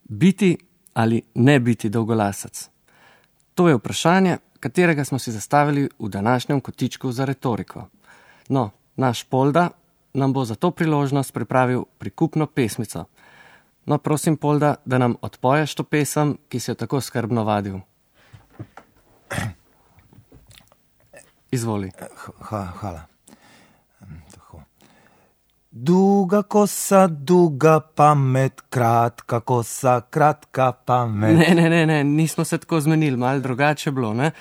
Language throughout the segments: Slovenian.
Biti ali ne biti dolgolasec? To je vprašanje, katerega smo si zastavili v današnjem kotičku za retoriko. No, naš Polda nam bo za to priložnost pripravil prikupno pesmico. No, prosim, Polda, da nam odpoješ to pesem, ki si jo tako skrbno vadil. Izvoli. Hvala. Duga kosa, duga pamet, kratka kosa, kratka pamet. Ne, nismo se tako zmenili, malo drugače bilo, ne?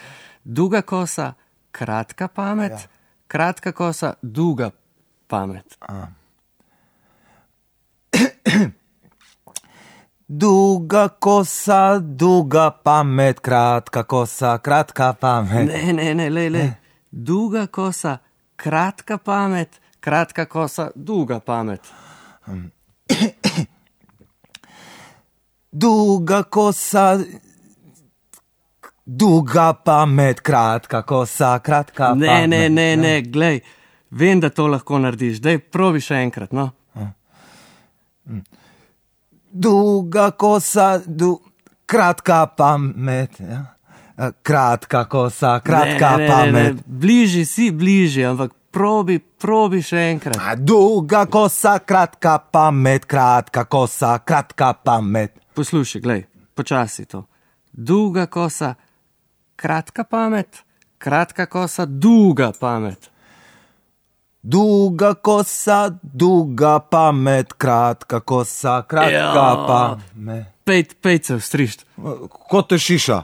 Duga kosa, kratka pamet, ja. Kratka kosa, duga pamet. Duga kosa, duga pamet, kratka kosa, kratka pamet. Ne, lej. Duga kosa, kratka pamet, kratka kosa, duga pamet. Duga kosa, duga pamet, kratka kosa, kratka pamet. Ne, glej, vem, da to lahko narediš. Daj, probi še enkrat, no. Duga kosa, kratka pamet, ja. Kratka kosa, kratka pamet. Ne, bližji, ampak probi še enkrat. Duga kosa, kratka pamet, kratka kosa, kratka pamet. Poslušaj, glej, počasi to. Duga kosa, kratka pamet, kratka kosa, duga pamet. Duga kosa, duga pamet, kratka kosa, kratka pamet. Pejt se vstrišt. Kot te šiša.